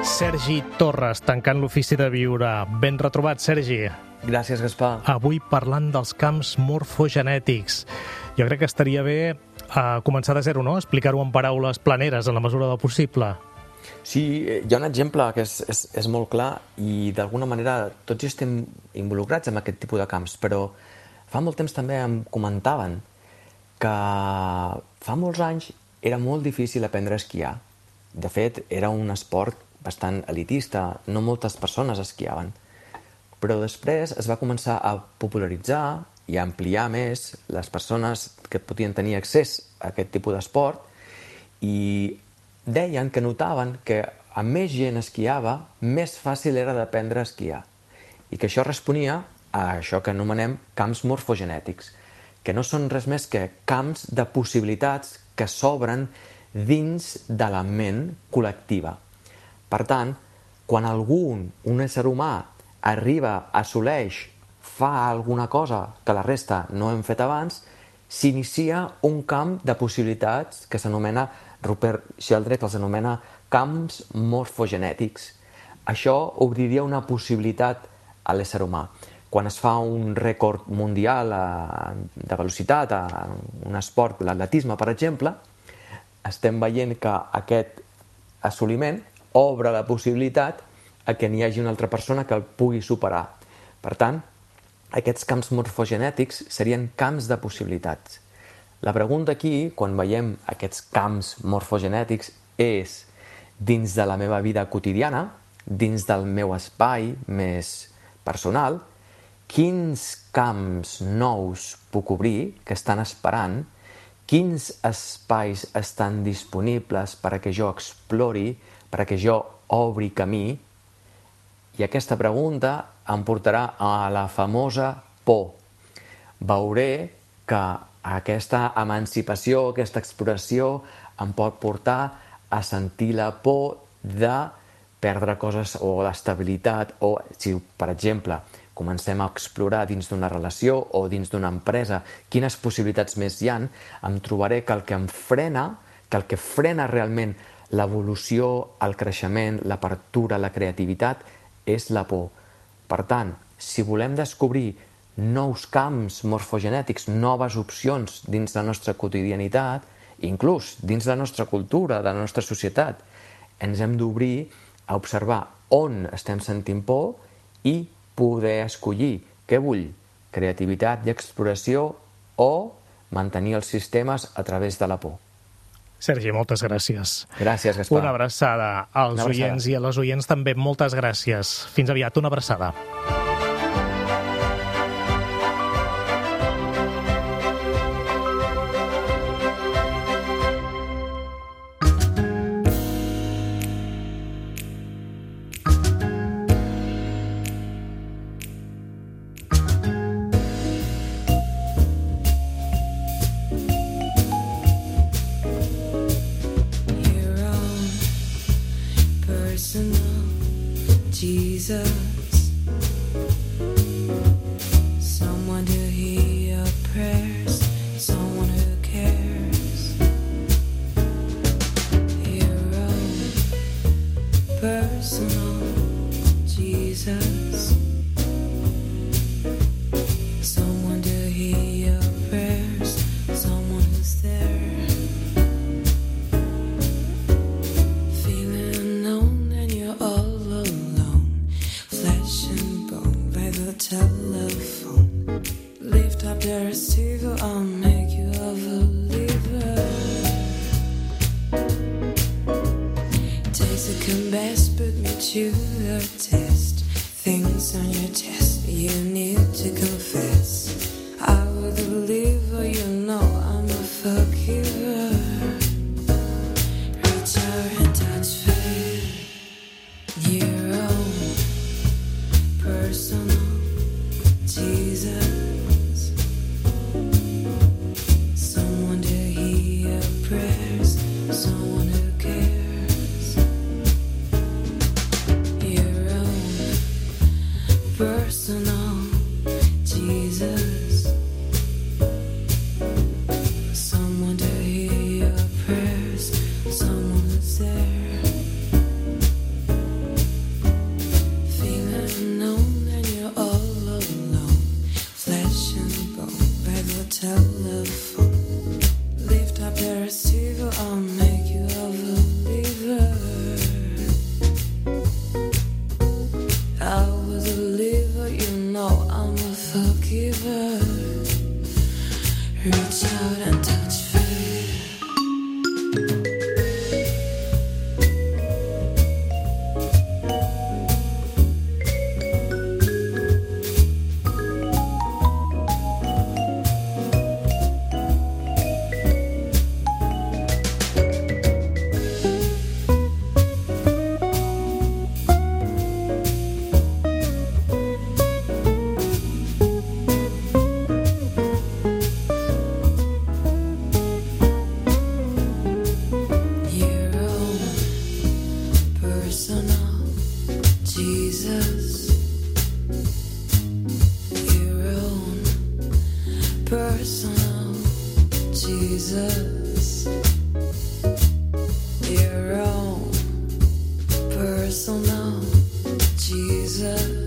Sergi Torres, tancant l'Ofici de Viure. Ben retrobat, Sergi. Gràcies, Gaspar. Avui parlant dels camps morfogenètics. Jo crec que estaria bé començar de zero, no? Explicar-ho en paraules planeres en la mesura del possible. Sí, hi ha un exemple que és molt clar i d'alguna manera tots estem involucrats en aquest tipus de camps, però fa molt temps també em comentaven que fa molts anys era molt difícil aprendre a esquiar. De fet, era un esport bastant elitista, no moltes persones esquiaven. Però després es va començar a popularitzar i a ampliar més les persones que podien tenir accés a aquest tipus d'esport i deien que notaven que a més gent esquiava, més fàcil era d'aprendre a esquiar i que això responia a això que anomenem camps morfogenètics, que no són res més que camps de possibilitats que s'obren dins de la ment col·lectiva. Per tant, quan un ésser humà arriba, assoleix, fa alguna cosa que la resta no hem fet abans, s'inicia un camp de possibilitats que s'anomena, Rupert Sheldrake els anomena camps morfogenètics. Això obriria una possibilitat a l'ésser humà. Quan es fa un rècord mundial de velocitat, un esport, l'atletisme, per exemple, estem veient que aquest assoliment obre la possibilitat a que n'hi hagi una altra persona que el pugui superar. Per tant, aquests camps morfogenètics serien camps de possibilitats. La pregunta aquí, quan veiem aquests camps morfogenètics, és dins de la meva vida quotidiana, dins del meu espai més personal, quins camps nous puc obrir que estan esperant, quins espais estan disponibles perquè jo explori, perquè jo obri camí. I aquesta pregunta em portarà a la famosa por. Veuré que aquesta emancipació, aquesta exploració em pot portar a sentir la por de perdre coses o l'estabilitat o, si per exemple, comencem a explorar dins d'una relació o dins d'una empresa quines possibilitats més hi ha, em trobaré que el que em frena, que el que frena realment l'evolució, el creixement, l'apertura, la creativitat, és la por. Per tant, si volem descobrir nous camps morfogenètics, noves opcions dins la nostra quotidianitat, inclús dins la nostra cultura, de la nostra societat, ens hem d'obrir a observar on estem sentint por i poder escollir què vull, creativitat i exploració o mantenir els sistemes a través de la por. Sergi, moltes gràcies. Gràcies, Gaspar. Una abraçada als oients i a les oients també. Moltes gràcies. Fins aviat, una abraçada. Jesus, someone to hear your prayers, someone who cares. Your own personal Jesus, someone to hear your prayers, someone who's there. Feeling alone and you're all telephone. Lift up the receiver, I'll make you a believer. Taste the best, put me to the test. Things on your chest you need to confess. I will deliver, you know I'm a forgiver. Reach out and touch faith. Your own personal Jesus, someone to hear your prayers, someone who cares. Your own personal Jesus, someone to hear your prayers, someone who's there. Feeling alone and you're all telephone. Lift up the receiver, I'll make you a believer. I will deliver, you know I'm a forgiver. Reach out and touch faith. Your own personal Jesus.